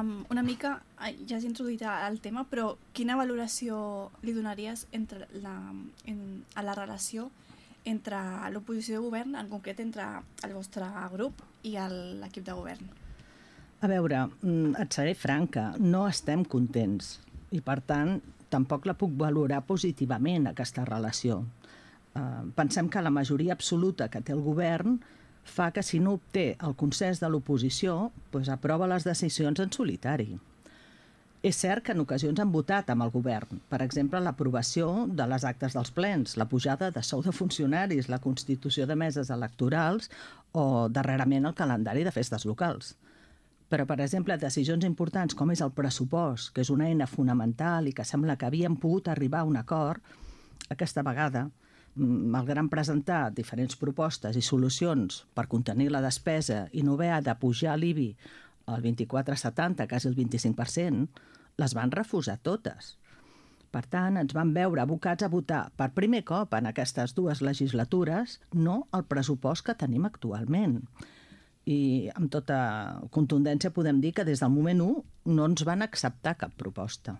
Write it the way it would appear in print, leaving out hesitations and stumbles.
Una mica, ja has introduït el tema, però quina valoració li donaries a la relació entre l'oposició de govern, en concret entre el vostre grup i l'equip de govern? A veure, et seré franca, no estem contents i, per tant, tampoc la puc valorar positivament, aquesta relació. Pensem que la majoria absoluta que té el govern fa que si no obté el consens de l'oposició, aprova les decisions en solitari. És cert que en ocasions han votat amb el govern, per exemple, l'aprovació de les actes dels plens, la pujada de sou de funcionaris, la constitució de meses electorals o, darrerament, el calendari de festes locals. Però, per exemple, decisions importants com és el pressupost, que és una eina fonamental i que sembla que havíem pogut arribar a un acord, aquesta vegada, malgrat presentar diferents propostes i solucions per contenir la despesa i no haver de pujar l'IBI al 24,70, quasi el 25%, les van refusar totes. Per tant, ens vam veure abocats a votar per primer cop en aquestes 2 legislatures no el pressupost que tenim actualment. I amb tota contundència podem dir que des del moment 1 no ens van acceptar cap proposta.